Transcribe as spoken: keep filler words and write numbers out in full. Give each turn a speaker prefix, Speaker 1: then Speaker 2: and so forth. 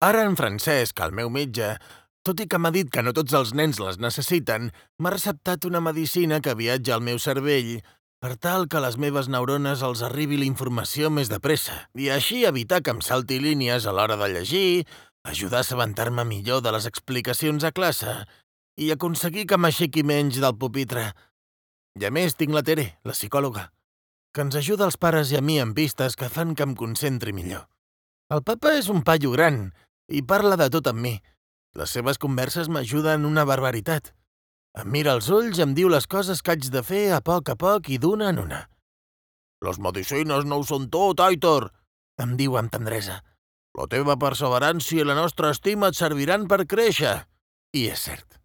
Speaker 1: Ara en Francesc, el meu metge, tot i que m'ha dit que no tots els nens les necessiten, m'ha receptat una medicina que viatja al meu cervell per tal que a les meves neurones els arribi la informació més de pressa i així evitar que em salti línies a l'hora de llegir, ajudar a assabentar-me millor de les explicacions a classe i aconseguir que m'aixequi menys del pupitre. I a més tinc la Tere, la psicòloga, que ens ajuda als pares i a mi amb pistes que fan que em concentri millor. El papa és un paio gran i parla de tot amb mi. Les seves converses m'ajuden una barbaritat. Em mira als ulls i em diu les coses que haig de fer a poc a poc i d'una en una. «Les medicines no ho són tot, Aitor», em diu amb tendresa. «La teva perseverància i la nostra estima et serviran per créixer». I és cert.